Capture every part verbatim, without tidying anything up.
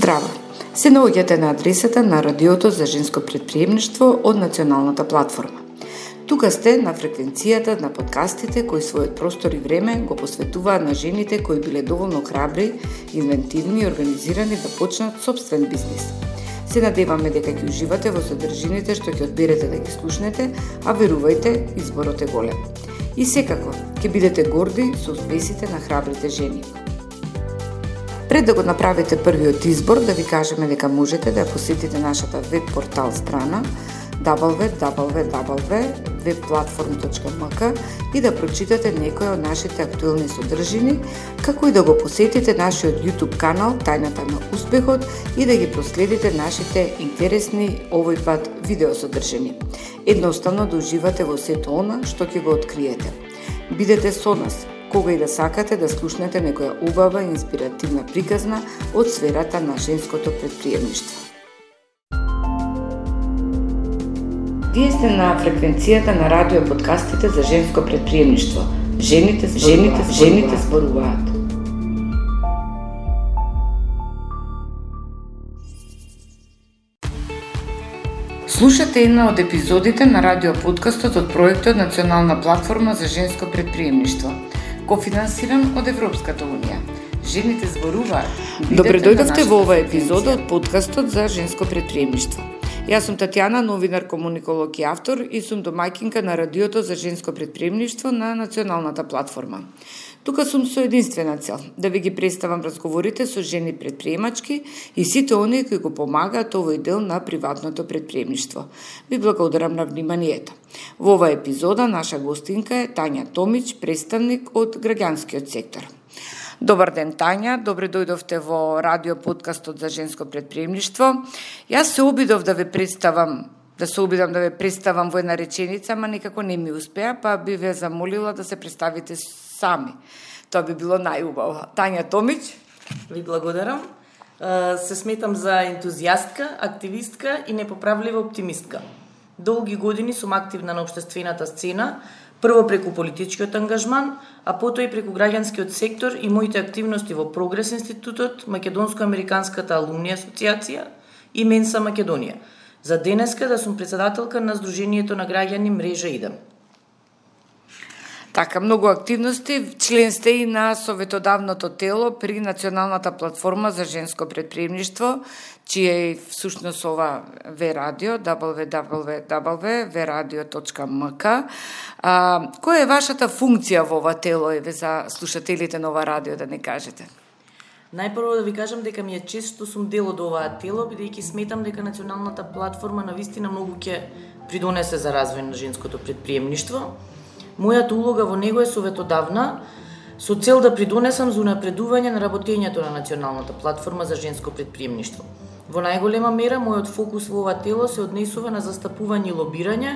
Здраво! Се наоѓате на адресата на Радиото за женско претприемништво од Националната платформа. Тука сте на фреквенцијата на подкастите кои својот простор и време го посветуваат на жените кои биле доволно храбри, инвентивни и организирани да почнат собствен бизнис. Се надеваме дека ќе уживате во содржините што ќе одберете да ги слушнете, а верувајте, изборот е голем. И секако, ќе бидете горди со успесите на храбрите жени. Пред да го направите првиот избор, да ви кажеме дека можете да посетите нашата веб портал страна дабл ю дабл ю дабл ю точка веб платформ точка ем ка и да прочитате некои од нашите актуелни содржини, како и да го посетите нашиот YouTube канал Тајната на успехот и да ги проследите нашите интересни овој пат видеосодржини. Едноставно да уживате во сето она што ќе го откриете. Бидете со нас кога и да сакате да слушнете некоја убава и инспиративна приказна од сферата на женското претприемништво. Вие сте на фреквенцијата на радио подкастите за женско претприемништво. Жените, жените, жените зборуваат. Слушате една од епизодите на радио подкастот од проектот Национална платформа за женско претприемништво, кофинансиран од Европската унија. Жените зборуваат. Добре дојдовте во оваа епизода од подкастот за женско претприемништво. Јас сум Татјана, новинар, комуниколог и автор и сум домаќинка на Радиото за женско претприемништво на Националната платформа. Тука сум со единствена цел, да ви ги представам разговорите со жени претприемачки и сите оние кои го помагаат овој дел на приватното претприемништво. Ви благодарам на вниманието. Во оваа епизода наша гостинка е Тања Томич, представник од граѓанскиот сектор. Добар ден, Тања, добре дојдовте во радио подкастот за женско претприемништво. Јас се обидов да ве представам, да се обидам да ве представам во една реченица, ама некако не ми успеа, па би ве замолила да се представите сами. Тоа би било најубаво. Тања Томич. Ви благодарам. Се сметам за ентузијастка, активистка и непоправлива оптимистка. Долги години сум активна на општествената сцена, прво преку политичкиот ангажман, а потоа и преку граѓанскиот сектор и моите активности во Прогрес институтот, Македонско-американската алумни асоциација и Менса Македонија. За денеска да сум председателка на Сдруженијето на граѓани Мрежа Идем. Така, многу активности, член сте и на советодавното тело при Националната платформа за женско претприемништво, чија е всушност ова ве радио, дабл ю дабл ю дабл ю точка ве радио точка ем ка. А, која е вашата функција во ова тело, еве за слушателите на ова радио да не кажете? Најпрво да ви кажам дека ми е чест што сум дел од оваа тело, бидејќи сметам дека Националната платформа навистина многу ќе придонесе за развој на женското претприемништво. Мојата улога во него е советодавна, со цел да придонесам за унапредување на работењето на Националната платформа за женско претприемништво. Во најголема мера, мојот фокус во ова тело се однесува на застапување и лобирање,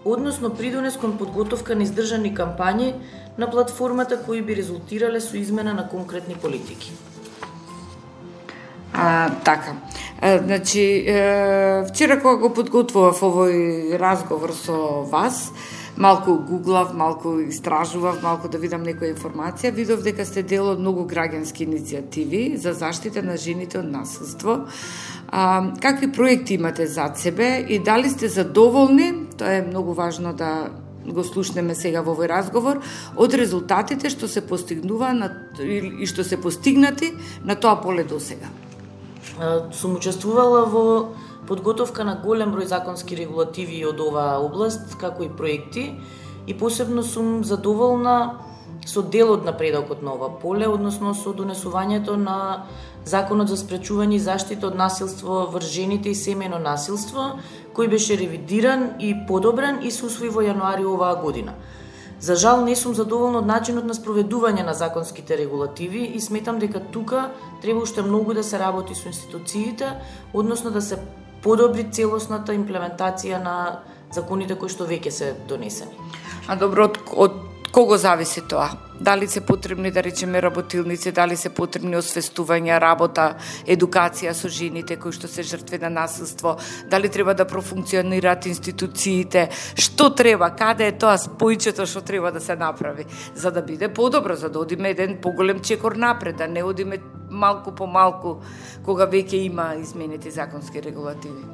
односно придонес кон подготовка на издржани кампањи на платформата кои би резултирале со измена на конкретни политики. А, така. А, значи, е, вчера кога го подготвував овој разговор со вас, малку гуглав, малку истражував, малку да видам некоја информација, видов дека сте дел од многу граѓански иницијативи за заштита на жените од насилство. А, какви проекти имате зад себе и дали сте задоволни, тоа е многу важно да го слушнеме сега во овој разговор, од резултатите што се постигнува на, и што се постигнати на тоа поле до сега? Сум учествувала во подготовка на голем број законски регулативи од оваа област, како и проекти, и посебно сум задоволна со дел од напредокот на ова поле, односно со донесувањето на Законот за спречување и заштита од насилство врз жените и семејно насилство, кој беше ревидиран и подобрен и се усвои во јануари оваа година. За жал не сум задоволна од начинот на спроведување на законските регулативи и сметам дека тука треба уште многу да се работи со институциите, односно да се подобри целосната имплементација на законите кои што веќе се донесени. А добро, од, од кого зависи тоа? Дали се потребни, да речеме, работилници, дали се потребни освестувања, работа, едукација со жените кои што се жртви на насилство, дали треба да профункционираат институциите, што треба, каде е тоа спојчето што треба да се направи, за да биде подобро, за да одиме еден поголем чекор напред, да не одиме малку по малку кога веќе има изменети законски регулативи?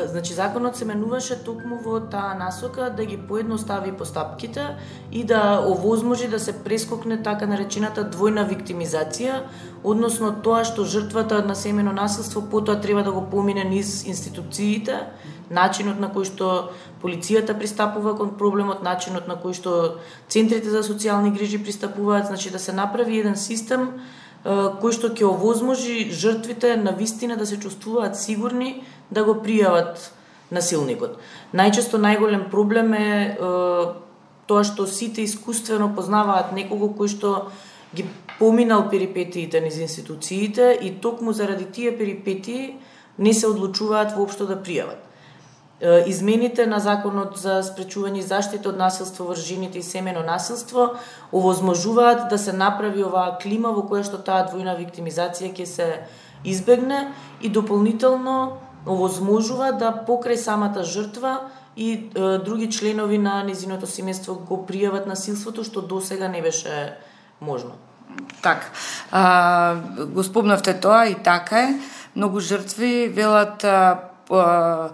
Значи, законот се менуваше токму во таа насока да ги поедностави постапките и да овозможи да се прескокне така наречената двојна виктимизација, односно тоа што жртвата на семејно насилство потоа треба да го помине низ институциите, начинот на кој што полицијата пристапува кон проблемот, начинот на кој што центрите за социјални грижи пристапуваат, значи да се направи еден систем кој што ќе овозможи жртвите на вистина да се чувствуваат сигурни да го пријават насилникот. Најчесто најголем проблем е, е тоа што сите искуствено познаваат некого кој што ги поминал перипетиите низ институциите и токму заради тие перипетии не се одлучуваат воопшто да пријават. Измените на законот за спречување и заштита од насилство врз жените и семејно насилство овозможуваат да се направи оваа клима во која што таа двојна виктимизација ќе се избегне и дополнително овозможува да покрај самата жртва и е, други членови на незиното семејство го пријават насилството, што досега не беше можно. Така, а, го спомнавте тоа и така е. Многу жртви велат а, а,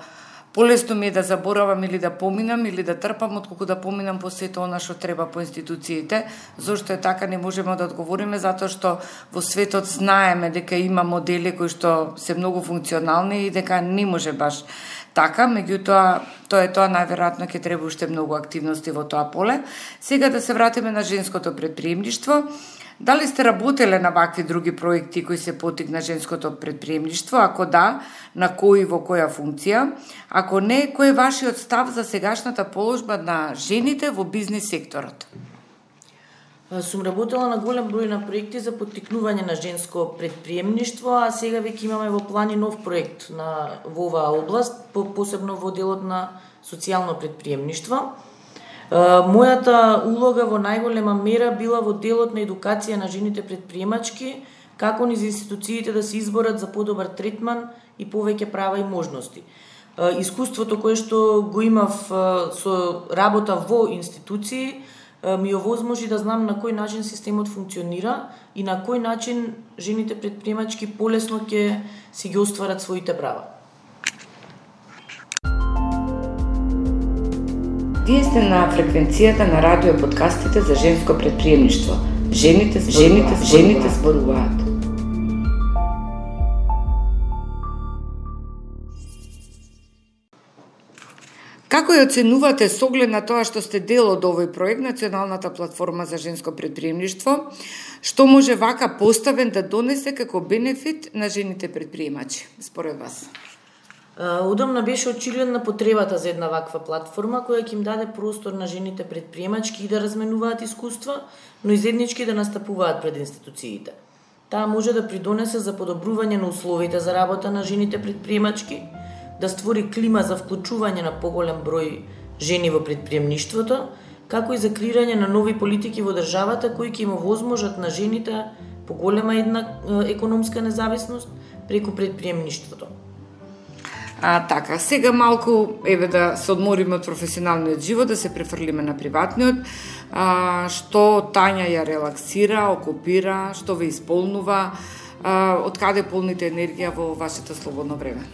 полесно ми е да заборавам или да поминам или да трпам отколку да поминам по сето она што треба по институциите. Зошто е така не можеме да одговориме, затоа што во светот знаеме дека има модели кои што се многу функционални и дека не може баш така, меѓутоа тоа е тоа најверојатно ќе треба уште многу активности во тоа поле. Сега да се вратиме на женското предприемништво. Дали сте работеле на вакви други проекти кои се потик на женското предприемништво? Ако да, на кои во која функција? Ако не, кој е вашиот став за сегашната положба на жените во бизнис секторот? Сум работела на голем број на проекти за поттикнување на женско предприемништво, а сега веќе имаме во плани нов проект на во оваа област, посебно во делот на социјално предприемништво. Мојата улога во најголема мера била во делот на едукација на жените предприемачки, како низ институциите да се изборат за подобар третман и повеќе права и можности. Искуството кое што го имав со работа во институции ми овозможи да знам на кој начин системот функционира и на кој начин жените предприемачки полесно ќе си ги остварат своите права. Вие сте на фреквенцијата на радио подкастите за женско предприемништво. Жените, жените, жените зборуваат. Како ја оценувате со оглед на тоа што сте дел од овој проект, Националната платформа за женско предприемништво, што може вака поставен да донесе како бенефит на жените предприемачи, според вас? Удобна беше очигледна потребата за една ваква платформа која ќе им даде простор на жените предприемачки и да разменуваат искуства, но и заеднички да настапуваат пред институциите. Таа може да придонесе за подобрување на условите за работа на жените предприемачки, да створи клима за вклучување на поголем број жени во предприемништвото, како и за креирање на нови политики во државата кои ќе им овозможат на жените поголема една економска независност преку предприемништвото. А, така, сега малку, еве да се одмориме од професионалниот живот, да се префрлиме на приватниот, а, што Тања ја релаксира, окупира, што ве исполнува, а, од каде полните енергија во вашето слободно време?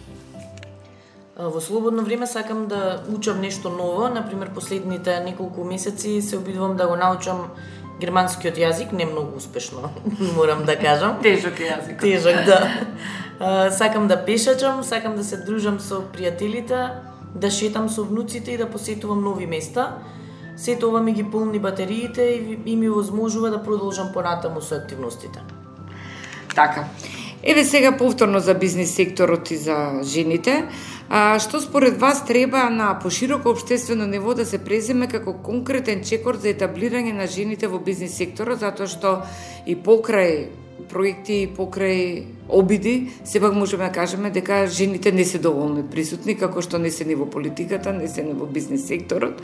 Во слободно време сакам да учам нешто ново, например последните неколку месеци се обидувам да го научам германскиот јазик, не многу успешно, морам да кажам. Тежок јазик. Тежок, да. Uh, сакам да пешачам, сакам да се дружам со пријателите, да шетам со внуците и да посетувам нови места. Сето ова ми ги полни батериите и, и ми возможува да продолжам понатаму со активностите. Така. Еве сега повторно за бизнис секторот и за жените. А, што според вас треба на пошироко општествено ниво да се преземе како конкретен чекор за етаблирање на жените во бизнис секторот, затоа што и покрај проекти, покрај обиди, сепак можеме да кажеме дека жените не се доволно присутни, како што не се ни во политиката, не се ни во бизнис секторот.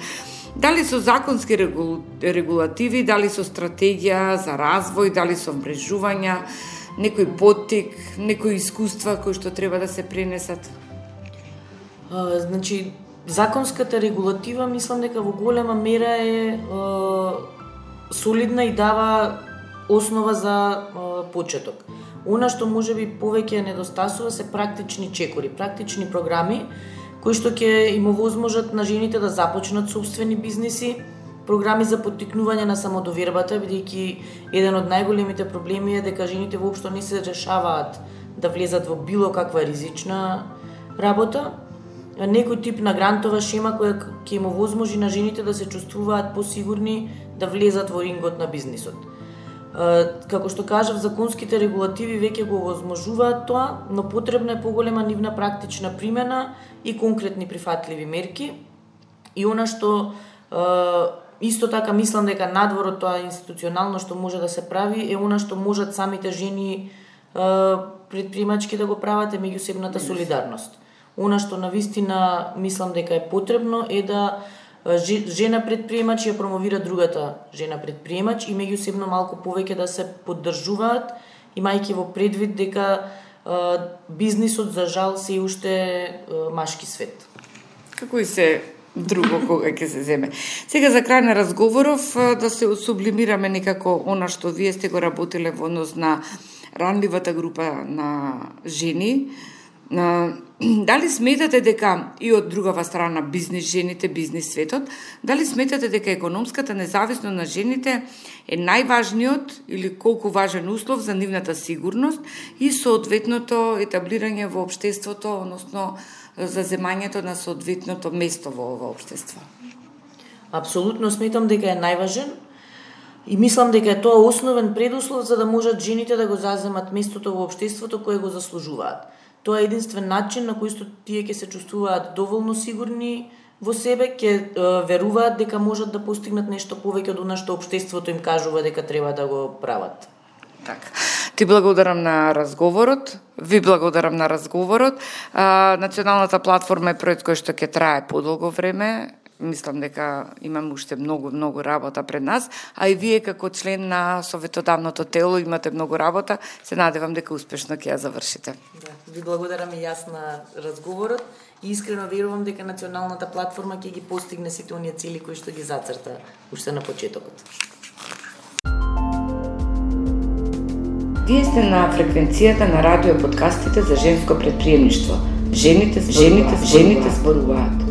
Дали со законски регул... регулативи, дали со стратегија за развој, дали со мрежувања, некој поттик, некои искуства кои што треба да се пренесат? А, значи, законската регулатива, мислам дека во голема мера е, е солидна и дава основа за а, почеток. Она што можеби повеќе недостасува се практични чекори, практични програми кои што ќе им овозможат на жените да започнат собствени бизниси, програми за поттикнување на самодовербата, бидејќи еден од најголемите проблеми е дека жените воопшто не се решаваат да влезат во било каква ризична работа. Некој тип на грантова шема која ќе им овозможи на жените да се чувствуваат посигурни да влезат во рингот на бизнисот. Како што кажав, законските регулативи веќе го овозможуваат тоа, но потребна е поголема нивна практична примена и конкретни прифатливи мерки. И она што исто така мислам дека надвор од тоа институционално што може да се прави е она што можат самите жени предприемачки да го прават, е меѓусебната солидарност. Она што навистина мислам дека е потребно е да жена предприемач ја промовира другата жена предприемач и меѓусебно малку повеќе да се поддржуваат, имајќи во предвид дека бизнисот за жал се уште машки свет. Како и се друго кога ќе се земе. Сега за крај на разговоров да се сублимираме некако она што вие сте го работеле во однос на ранливата група на жени. Дали сметате дека и од другава страна бизнис жените, бизнис светот, дали сметате дека економската независност на жените е најважниот или колку важен услов за нивната сигурност и соодветното етаблирање во општеството, односно за земањето на соодветното место во ова општество? Апсолутно сметам дека е најважен и мислам дека е тоа основен предуслов за да можат жените да го заземат местото во општеството кое го заслужуваат. Тоа е единствен начин на кој што тие ќе се чувствуваат доволно сигурни во себе, ќе веруваат дека можат да постигнат нешто повеќе од она што општеството им кажува дека треба да го прават. Така. Ти благодарам на разговорот, ви благодарам на разговорот. А, националната платформа е проект кој што ќе трае подолго време. Мислам дека имаме уште многу, многу работа пред нас, а и вие како член на советодавното тело имате многу работа. Се надевам дека успешно ќе ја завршите. Да, ви благодарам и јас на разговорот и искрено верувам дека националната платформа ќе ги постигне сите оние цели кои што ги зацрта уште на почетокот. Вие сте на фреквенцијата на радио подкастите за женско предприемништво. Жените, жените, жените зборуваат.